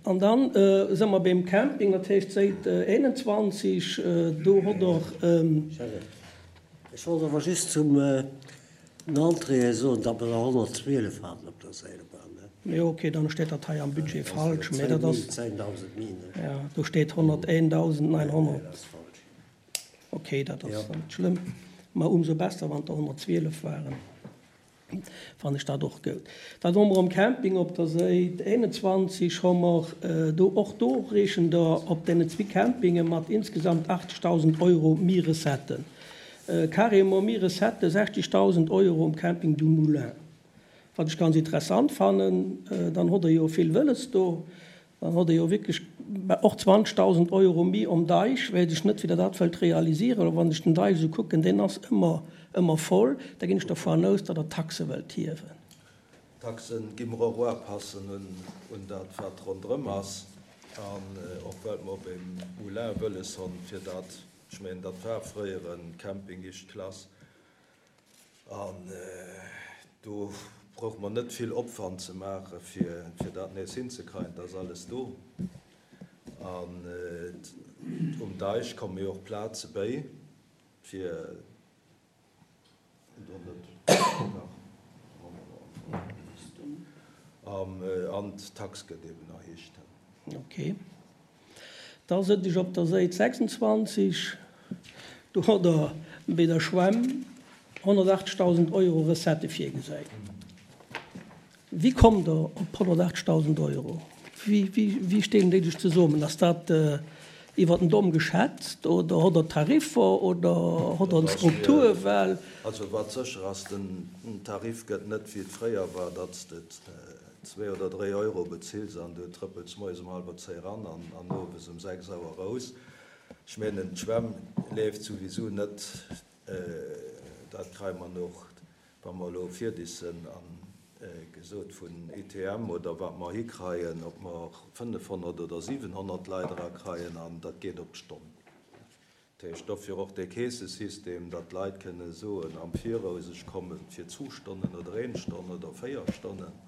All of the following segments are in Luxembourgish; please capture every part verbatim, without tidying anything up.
An dann si mer beim Camping, dat heescht Säit eenanzwanzeg, do hott Der. Ech wollt awer just zum den Entréeë soen, datt mer der honnertzwielef haten op der Seilbahn. Jo, okay, dann steet dat hei am Budget falsch, mä dat ass. Zéngdausend méi, ne? Jo, do steet honnerteentausendneunhonnert. Dat ass falsch. Okay, dat ass net schlëmm, mä umso besser, wann et der honnertzwielef waren. Fannen ech dat och goud. Dann hu mer um Camping op der Séit eenanzwanzeg hu mer do, och do reechen der op deenen zwee Campinge mat insgesamt achtzegdausend Euro méi Recetten, carrément méi Recettë, sechzegdausend Euro um Camping du Moulin, wat ech ganz interessant fannen. Dann hutt Der jo vill wëlles do. Dann hutt Der jo wierklech och zwanzegdausend Euro méi um Deich. Weess ech net, wéi Der dat wëllt realisieren. Oder wann ech den Deich esou kucken, deen ass ëmmer, ëmmer voll. Da ginn ech dervun aus, datt Der d'Taxe wëllt hiewen. D'Taxe gi mer och uapassen un dat, wat ronderëm ass. An och well mer op e Moulin wëlles honn, fir dat, ech mengen, dat war fréier e Camping éischt Klass. An do brauche mer net vill Opwand ze maachen, fir dat nees hinzekreien. Et ass alles do. An um Deich komme jo och Plaze béi, fir do net nach an d'Tax gëtt eben erhéicht. Ok. Da sëtt ech op der Séit sechsundzwanzeg. Do hutt Der bei der Schwämm honnertachtzegdausend Euro Recettë virgesäit. Wéi kommt Der op honnertachtzegdausend Euro? Wéi stellen déi sech zesummen? Ass dat iwwer den Domm geschätzt oder hutt Der Tariffer oder hutt Der eng Struktur? Well. Also wat sécher ass, den Tarif gëtt net wéi et fréier war, datt s de zwee oder dréi Euro bezills an du trëppels moies um hallwer zéi eran an owes um sechs Auer erous. Ech mengen, d'Schwämm leeft souwisou net. Dat kréie mer och, wa mer elo fierdeg sinn a gesot vun I T M oder wat mer hikreien, ob mer fënnefhonnert oder siwenhonnert Leit erakreien, an dat geet op d'Stonn. Dat heescht, dofir och dee Keessesystem, datt d'Leit kënne soen am Viraus, ech komme fir zwu Stonnen oder een Stonn oder véier Stonnen.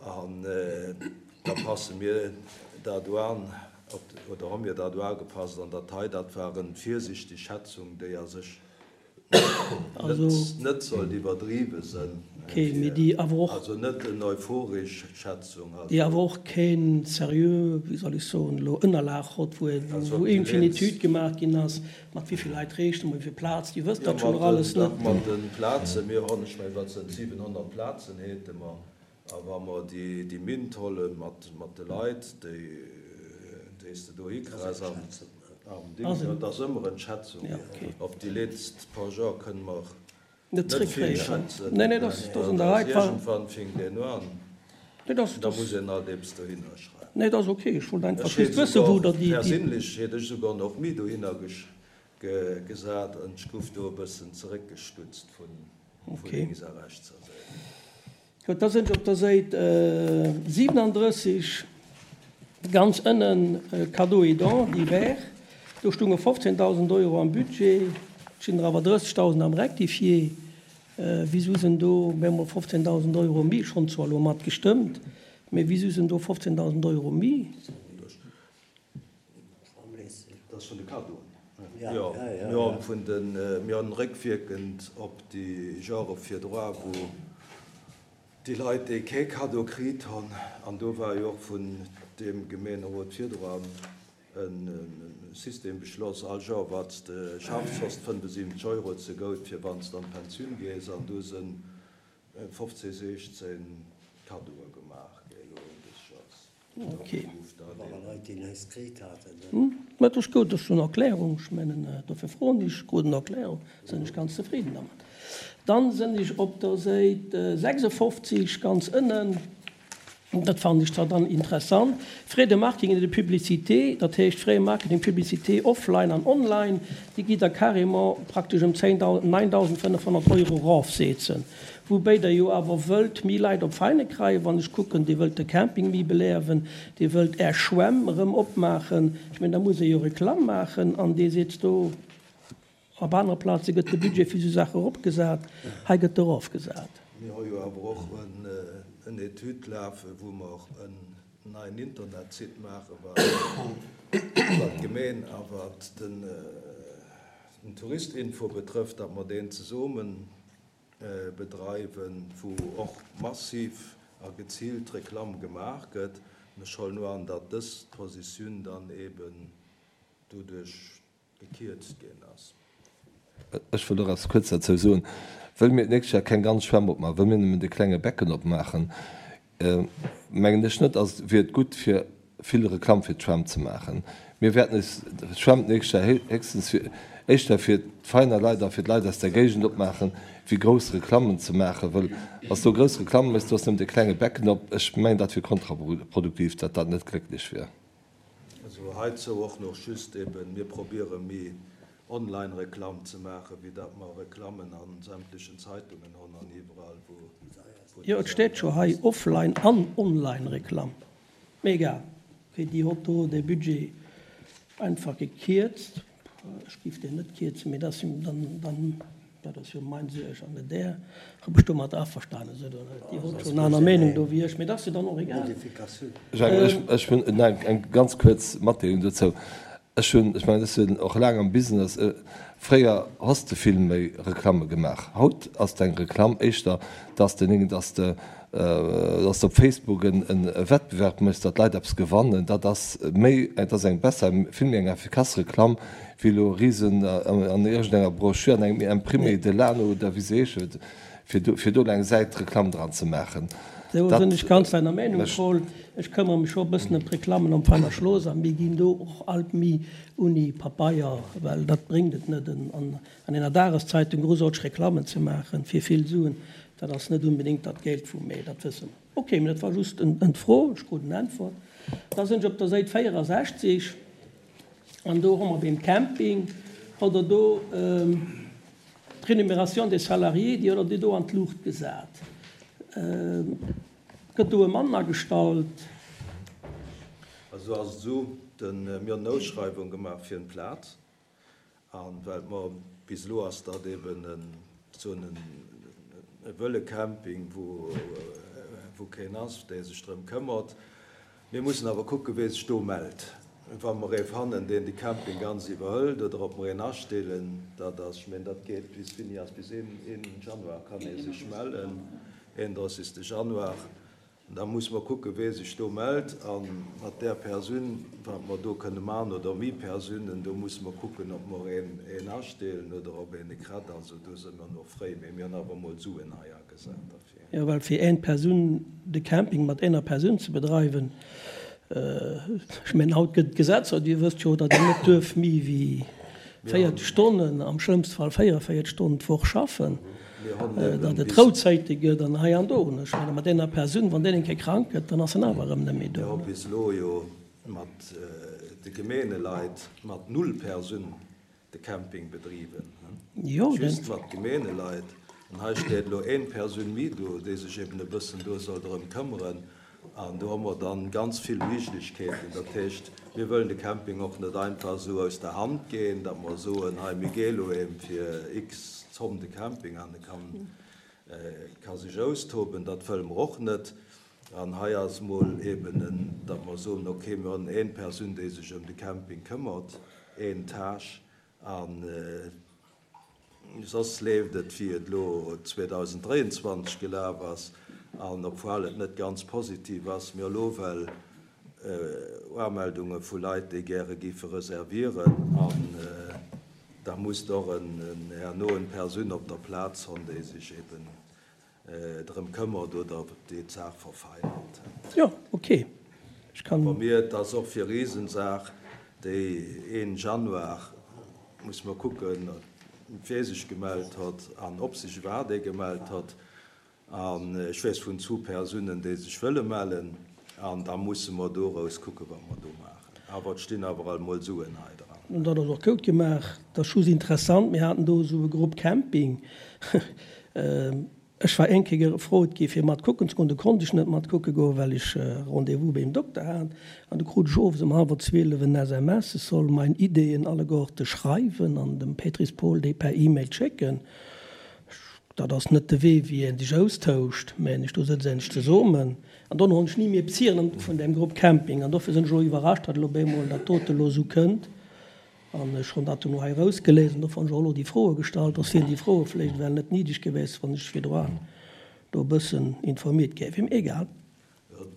An da passe mir dat un, oder hu mir dat ugepasst. An dat hei, dat war eng virsichteg Schätzung, déi a sech net sollt iwwerdriwwe sënn, also net en euphoresch Schätzung. Déi awer och keen seriö, wéi soll ech soen elo, Ënnerlag hott, wou iergendwéi en Etüd gemaach ginn ass, mat wéi vill Leit rechne mer, wéi vill Plaz, Dir wësst dat schonn och alles net. Mat de Plazen, mir hunn, ech mengen, wat sinn siwenhonnert Plazen hate mer. A wa mer déi Mint holle mat de Leit, déi s de do hikriss am Ding, dat ass ëmmer eng Schätzung. Op déi letzt paar Joer kënne mer net vill schätzen. Iergendwann fänkt een un, da muss een alt eppes dohinner schreiwen. Ech hätt souguer, perséinlech hätt ech souguer nach méi dohinner gesat an ech gouf do e bëssen zeréckgestutzt vu lénks a rechts. Gutt, da sinn ech op der Säit siwenandrësseg, ganz ënnen, Cadeaux et dons divers. Do stounge fofzéndausend Euro am Budget, et stinn der awer drëssegdausend am Rectifié. Wisou sinn do op eemol fofzéndausend Euro méi? Ech hunn zwar elo mat gestëmmt, mee wisou sinn do fofzéndausend Euro méi? Dat ass vun de Cadeauen. Jo, mir hunn vun de, mir hunn réckwierkend op déi Jore virdra, wou déi Leit, déi kee Cadeau kritt hunn, an do war jo och vun deem Gemeenerot virdra e System beschloss, all Joer, wat s de schaffs, hues de fënnfensiwwenzeg Euro zegout, fir wann s de an d'Pensioun gees. An do si fofzéng, siechzéng Cadeaue gemaach gi elo dës Joers. Ok. Mä et ass gutt, ech hunn Erklärung, ech mengen, dofir froen ech, krut en Erklärung, sinn ech ganz zefridden dermat. Dann sinn ech op der Säit sechsundfofzig ganz ënnen, dat fannen ech zwar dann interessant, Frais de marketing et de publicité, dat heescht Frais marketing, publicité offline an online, déi gitt Der carrément praktesch ëm neuntausendfënnefhonnert Euro erofsetzen. Woubéi Der jo awer wëllt méi Leit op Veine kreien, wann ech kucken, Dir wëllt de Camping méi beliewen, Dir wëllt Är Schwämm erëm opmaachen. Ech mengen, da muss ee jo Reklamm maachen an Dir seet do, op anere Plaze gëtt de Budget fir esou Saache eropgesat, hei gëtt e erofgesat. Mir hu jo awer och en Etüd lafen, wou mer en neien Internetsite maachen, wat d'Gemeen a wat den Touristinfo betrëfft, datt mer deen zesumme bedreiwen, wou och massiv a geziilt Reklamm gemaach gëtt. An ech huelen un, datt dës Positioun dann eben doduerch gekierzt ginn ass. Ech wëll och eppes kuerz derzou soen. Wëll mir d'nächst Joer keng ganz Schwämm opmaachen, wëll mir nëmmen de klenge Becken opmaachen, mengen ech net, ass, wier et gutt fir vill Reklamm fir d'Schwämm ze maachen. Mir wäerten eis d'Schwämm d'nächst Joer héchstens fir, éischter fir d'Veiner Leit a fir d'Leit aus der Géigend opmaachen, wéi grouss Reklammen ze maachen, wëll wann s du grouss Reklamme méchs, du hues nëmmen de klenge Becken op. Ech mengen, dat wier kontraproduktiv, datt dat net glécklech wier. Also heizou och nach just eben, mir probiere méi Online-Reklamm ze maachen, wéi datt mer Reklammen a sämtlechen Zeitungen hunn an iwwerall, wou déi Jo, et steet scho hei, Offline an Online-Reklamm. Mee egal, okay, déi hott do de Budget einfach gekierzt. Ech géif deen net kierzen, mee dat ass jo dann, dann, dat ass jo mein Suerg an net Är. Ob ech domat averstane sinn oder net, Dir hott schonn aner Meenung do wéi ech, mee dat ass jo dann och egal. Jacques, ech hunn eng ganz kuerz Matdeelung dozou. Ech hunn, ech mengen, ech sinn och laang am Business, fréier has de vill méi Reklamme gemaach. Haut ass deng Reklamm éischter, dass de, dass de, dass de op Facebook en Wettbewerb méchs, datt d'Leit eppes gewannen. Dat ass méi, dat ass eng besser, vill méi eng efficace Reklamm wéi elo risen an iergendenger Broschür, an engem Imprimé de l'Ano oder wéi se heeschen, fir do, fir do eng Säit Reklamm dran ze maachen. Do sinn ech ganz deiner Meenung, Paul. Ech këmmere mech scho e bëssen ëm d'Reklammen am Veiner Schloss a mir ginn do och alt méi uni Papeier, well dat bréngt et net, an enger Dageszeitung groussaarteg Reklammen ze maachen fir vill Suen. Dat ass net unbedéngt dat Geld vum Mee, dat wësse mer. Ok, mee dat war just en Fro, ech krut en Äntwert. Da sinn ech op der Säit véierasechzig an do hu mer beim Camping, hutt Der do d'Rémunération des salariés, déi hutt Der do an d'Luucht gesat. Gëtt do e Mann agestallt? Also ass et esou, mir hunn en Ausschreiwung gemaach fir en Plaz, a well mer bis elo ass dat eben en soen e wëlle Camping, wou wou keen ass, dee sech drëm këmmert. Mir mussen awer kucken, wee sech do mellt. Wa mer ee fannen, deen de Camping ganz iwwerhëlt, oder ob mer een astellen, dat ass, ech mengen, dat geet bis, wéini ass, bis een Januar kann ee sech mellen, eenunddreissegste Januar. Da musse mer kucken, wee sech do mellt a mat där Persoun, wat mer do kënne maachen, oder méi Persounen, do musse mer kucken, ob mer een een astellen oder ob een e kritt. Also do si mer nach fréi, mee mir hunn awer emol Suen hei agesat derfir. Jo, well fir een Persoun de Camping mat eener Persoun ze bedreiwen, ech mengen, haut gëtt et Gesetzer, Dir wësst jo, datt een net duerf méi wéi véierzeg Stonnen, am schlëmmste Fall véierunvéierzeg Stonnen d'Woch schaffen, datt et Rouzäite gëtt an hei an do. Ech mengen, mat eener Persoun, wann deen eng Kéier krank gëtt, dann ass en awer erëm net méi do. Mir hu bis elo jo mat de Gemeeneleit mat null Persoun de Camping bedriwwen, just mat Gemeeneleit. An hei steet elo een Persoun méi do, déi sech eben e bëssen do soll drëm këmmeren. An do hu mer dann ganz vill Méiglechkeeten. Dat heescht, mir wëllen de Camping och net einfach esou aus der Hand ginn, datt mer soen, hei mir gi elo eem fir x Zomm de Camping an e kann, ka sech austoben. Dat wëlle mer och net. An hei ass emol eben en, datt mer soen, okay, mir hunn een Persoun, déi sech ëm de Camping këmmert, een Tâche, an soss leeft et, wéi et elo zweedausenddräianzwanzeg gelaf ass. An obwuel et net ganz positiv ass, mir elo well Uameldunge vu Leit, déi gäre géife reservieren, an da muss och en herno en Persoun op der Plaz honn, déi sech eben drëm këmmert oder déi d'Saach verfeinert. Jo, ok. Ech kann. Wa mir, et ass och fir Riesensaach, déi een Januar, muss mer kucken, wee sech gemellt hott an ob sech iwwerhaapt ee gemellt hott. An ech weess vun zu Persounen, déi sech wëlle mellen. An da musse mer dorous kucken, wat mer do maachen. Awer et stinn awer alt mol Suen hei dran. Dat ass och goud gemaach. Dat ass just interessant, mir haten do esou e Grupp Camping. Ech war eng Kéier gefrot gi fir mat kucken ze goen. Do konnt ech net mat kucke goen, well ech Rendez-vous beim Dokter hat. An du krut ech owes ëm hallwer zwielef en S M S, ech soll mein Ideeën alleguerte schreiwen an dem Pétris Paul déi per E-Mail schécken. Ech Dat ass net de Wee, wéi een sech austauscht, mengen ech. Do sëtzt een sech zesummen. An dono hunn ech ni méi eppes hieren vun deem Grupp Camping. An dofir sinn ech elo iwwerrascht, datt elo op eemol dat dote elo esou kënnt. An ech hunn dat dono hei erausgeléist an dofir hunn ech och elo déi Froe gestallt. Soss wieren déi Froe vläicht ewell net niddeg gewiescht, wann ech virdroan do e bëssen informiert géif. Mee egal.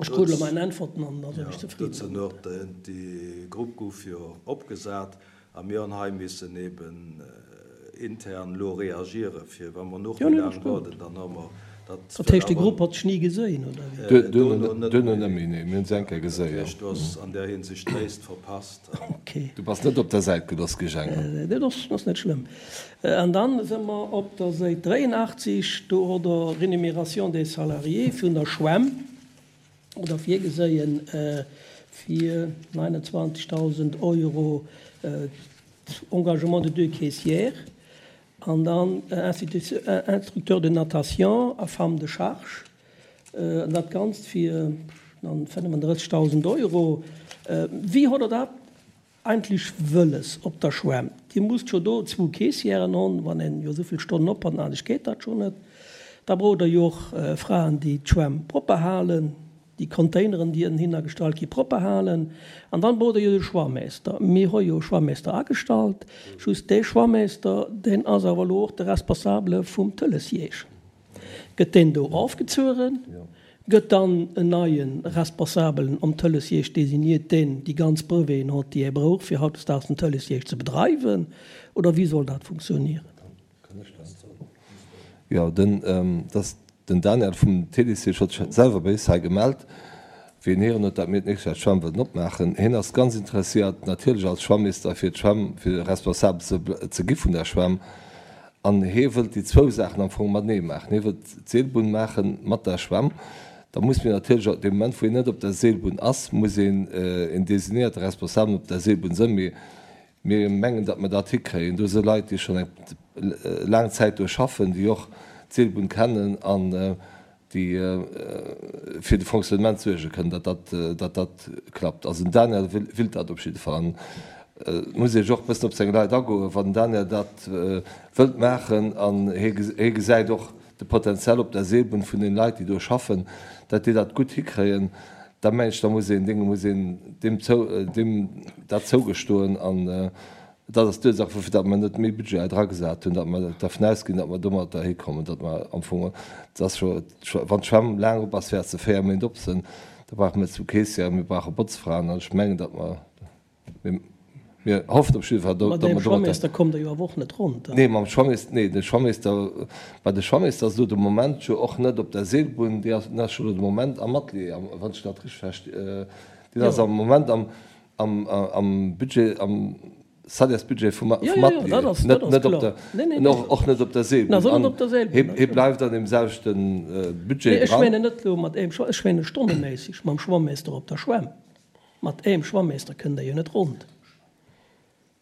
Ech krut elo mäin Äntwerten an da sinn ech zefridden. Dozou nach, déi Grupp gouf jo opgesat a mir hunn hei missen eben intern elo reagieren, fir wa mer nach méi laang waarden, dann hu mer dat. Dat heescht, déi Grupp hat sech ni geséin, oder wéi? Duerno net méi, nee. Mir hunn se eng Kéier geséi, jo. Dat heescht, du has an där Hinsicht d'Léist verpasst. Okay. Du bass net op der Säit gelooss gi, Jhang. Dat ass net schlëmm. An dann si mer op der Säit dräienachtzig, do hutt Der Rémunération des salariés vun der Schwämm oder virgeséien fir neunundzwanzigtausend Euro Engagement de deux caissières an dann Instructeur de natation a femme de charge, an dat Ganzt fir dann fënnefandrëssigtausend Euro. Wéi hutt Der dat eigentlech wëlles op der Schwämm? Dir musst jo do zwou Caissièren hunn, wann een jo esou vill Stonnen op hat, anescht geet dat jo net. Da braucht Der jo och Fraen, déi d'Schwämm propper halen. déi Containeren, déi ënnehinner gestallt gi propper halen. An dann braucht Der jo de Schwammeester. Mir hu jo e Schwammeester agestallt. Just dee Schwammeester, deen ass awer elo och de Responsabele vum Tëlesjeesch. Gëtt deen do ofgezueren, gëtt dann en neie Responsabelen am Tëlesjeesch designiert, deen déi ganz Breveten huet, déi ee brauch, fir hautdesdaags den Tëlesjeesch ze bedreiwen, oder wéi soll dat funktionieren? Jo, den, dass Den Daniel vum T D C huet sech selwer bei is hei gemellt, wéi en héieren huet, dat mir d'nächst Joer d'Schwämm wëllen opmaachen. Hien ass ganz interesséiert, natierlech als Schwammeester fir d'Schwämm, fir responsabel ze ze gi vun der Schwämm. An hie wëllt déi zwou Saachen am Fong matenee maachen. Hie wëllt d'Seelbunn maache mat der Schwämm. Da muss mir natierlech och, dee Moment wou hien net op der Seelbunn ass, muss een een designéierte Responsabelen op der Seelbunn sënn. Mee mir mengen, datt mer dat hikréien. Do si Leit, déi schonn eng laang Zäit do schaffen, déi och d'Seelbunn kennen an déi fir de Fonctionnement suerge kënnen, datt dat, datt dat klappt. Also den Daniel willt dat op jidde Fall. An et muss ee jo och e bëssen op seng Leit agoen, wann den Daniel dat wëllt maachen an hie gesäit och de Potential op der Seelbunn vun den Leit, déi do schaffen, datt déi dat gutt hikréien, da mengen ech, da muss een deem, muss een deem zou, deem dat zougestoen. An Dat ass d'Ursaach, woufir datt mer net méi Budget hei dragesat hunn, datt mer dervun ausginn, datt mer domatter hikommen, datt mer am Fong, et ass jo, wann d'Schwämm laang op ass, wäert se véier Méint op sinn, da brauche mir zwou Caissièren, mir brauche Botzfraen an ech mengen, datt mer, mir, mir hoffen op jidde Fall, datt mer Mat deem domatter. Schwammeester kommt Der jo awer och net ronn dann. Nee, mam Schwammeester, nee, de Schwammeester, mä de Schwammeester ass elo de Moment jo och net op der Seelbunn, dee ass, deen ass jo elo de Moment am Atelier, wann ech dat richteg versti, deen ass am Moment am, am, am Budget, am Salaires-Budget vum Atelier, net op der, och net op der Seelbunn. An hie bleift an deem selwechte Budget dran. Ech mengen net elo mat engem, ech menge stonneméisseg mam Schwammeester op der Schwämm. Mat engem Schwammeester kënnt Der jo net rond.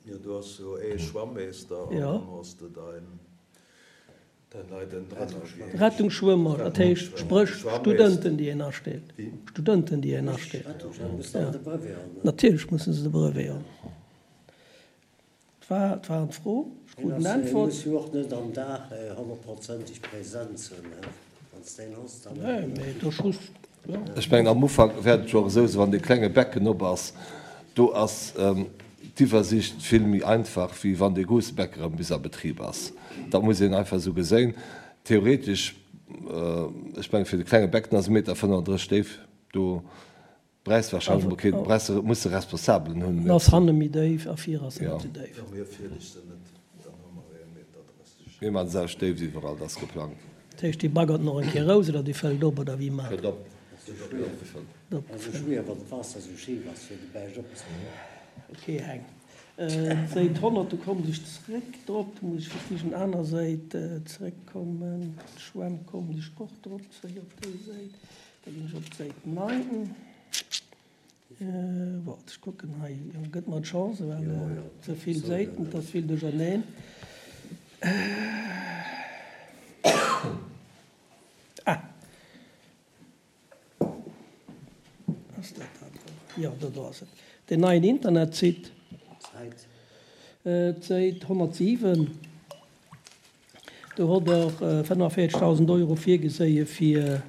Jo, du has jo ee Schwammeester an dann has de dein. Rettungsschwëmmer, dat heescht, spréch Studenten, déi een astellt. Studenten, déi een astellt. Natierlech musse se de Brevet hunn. Dat war d'Fro. Ech krut eng Äntwert. Muss jo och net am Dag honnertprozenteg present sinn, wann s deen hues, dann. Nee, mee do just, jo. Ech mengen, am Ufank wäert et jo och esou sinn, wann dee klenge Becken op ass, do ass d'Iwwersicht vill méi einfach, wéi wann dee grousse Beck erëm bis a Betrib ass. Dat muss een einfach esou geséin. Theoretesch, ech mengen, fir de klenge Beck, den ass e Meter fënnefandrësseg déif, do bräichs de wahrscheinlech emol keen, bräichs de, muss de Responsabelen hunn. En ass hanne méi déif a vir ass en net esou déif. Jo, mir fierdeg se net, dann hu mer ee Meter drësseg. Mir maachen se aus Déift iwwerall, dat ass geplangt. Dat heescht, déi baggert nach eng Kéier raus oder déi fëllt op oder wéi maacht Fëllt op. Ok Heng. D'Säit honnert, do kommen ech zréck drop, do muss ech fir d'éischt en aner Säit zréckkommen. D'Schwämm kommen ech och drop zréck op déi Säit. Da ginn ech op d'Säit neun. Waart, ech kucken hei, jo gëtt mer d'Chance, well ze vill Säiten, et ass vill duercherneen. Ah! Ass dat dat do? Jo, do do ass et. Deen neien Internetsite. D'Säit honnertsiwen. Do hott Der fënnefenvéierzegdausend Euro virgeséie fir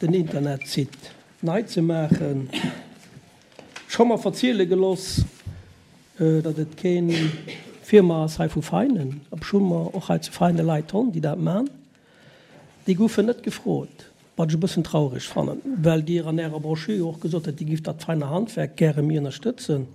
den Internetsite nei ze maachen. Ech hu mer verziele geloss, datt et keen Firma ass hei vu Veinen, obschonn mer och hei zu Veinen Leit honn, déi dat man. Déi goufen net gefrot, wat ech e bëssen traureg fannen, well Dir an Ärer Broschür och gesot hutt, Dir gift dat feine Handwerk gäre méi ënnerstëtzen.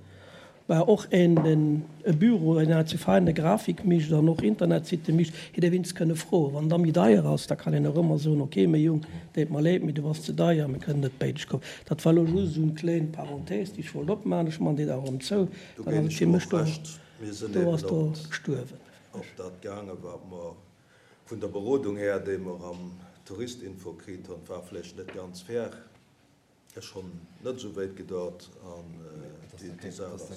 Mä och een, deen e Büro, een hei zu Veinen Grafik mécht an och Internetsitte mécht, hätt ee wéinst kënne froen. Wann da méi deier ass, da kann een och ëmmer soen, ok, méi Jung, deet mer leed, mee du bass ze deier, mir kënnen net béideg kommen. Dat war elo just esou eng kléin Parenthèse, déi ech wollt opmaachen. Ech man déi da erëm zou. Do Dann ginn ass et ech fir och mech do, Recht. Mir sinn do eben ass do op gestuerwen. op dat gaangen, wat mer vun der Berodung här, déi mer am Touristinfo kritt hunn, war vläicht net ganz fair. Ech hunn net esou wéit gedauert an déi Saach ass.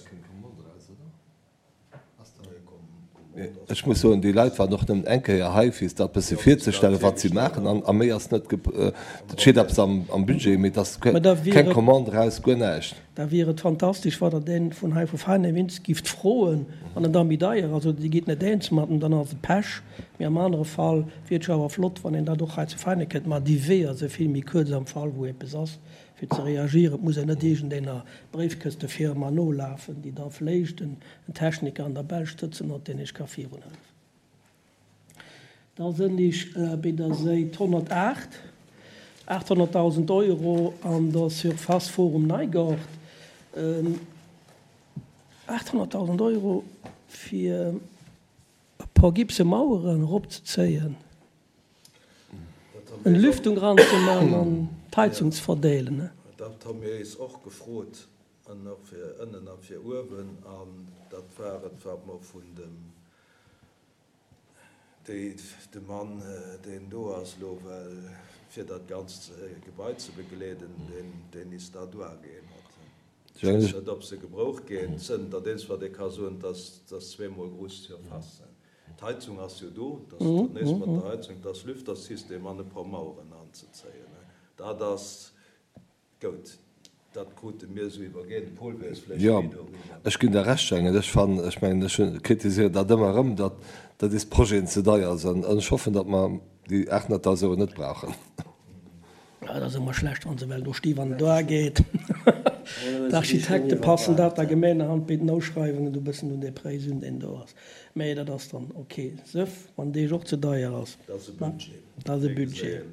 Ech muss soen, déi Leit waren och nëmmen eng Kéier hei, fir sech dat bësse virzestellen, wat si maachen, a méi ass net. Et steet eppes am Budget, mee et ass keng Commande eraus, guer näischt. Da wier et fantastesch, wa Der dee vun hei vu Veinen gift froen, wann en da méi deier ass oder Dir gitt net eens mat em, dann ass et Pech. Mee am anere Fall wier et jo awer flott, wann een dat och hei zu Veinen kënnt maachen. Déi Weeër si vill méi kuerz am Fall, wou eppes ass, fir ze reagieren. Et muss een net iergendener Bréifkëstefirma nolafen, déi da vléicht en Techniker an der Belsch sëtzen huet, deen iech ka virunhëllefen. Da sënn ech bei der Séit honnertaacht, aathonnertdausend Euro an der Surface Forum Neigort. Aathonnertdausend Euro fir e puer gipse Maueren eropzezéien, eng Lüftung eranzeman an d'Heizung ze verdeelen. Dat hu mir eis och gefrot, an och fir ënnen a fir uewen. An dat war et, wat mer vun dem, déi, de Mann, deen do ass elo, well fir dat ganzt Gebai ze begleeden, deen, deen is da duergeen huet. Ech weess net, ob se gebroucht ginn. Zënter deems, wat ee ka soen, dass dass zweemol gruss Surfacen. D'Heizung ass jo do, dass dat nees mat der Heizung, dass Lüftersystem an e puer Maueren anzezéien. Dat ass goud. Dat krute mir esou iwwergeen. De Paul weess vläicht Jo, méi doriwwer. ech ginn der Recht, Schengen. Ech fannen, ech mengen, ech hunn, kritiséieren dat ëmmer erëm, datt datt is Projeten ze deier sinn. An ech hoffen, datt mer déi aathonnertdausend Euro net brauchen. Dat ass ëmmer schlecht, wann se well do sti wann et ageet. D'Architekte passen dat da geméinerhand bei den Ausschreiwungen do e bëssen un dee Präis un, deen do ass. Mä dat ass dann ok. Sëff, wann deeg och ze deier ass. Dat ass e Budget. Dat ass e Budget.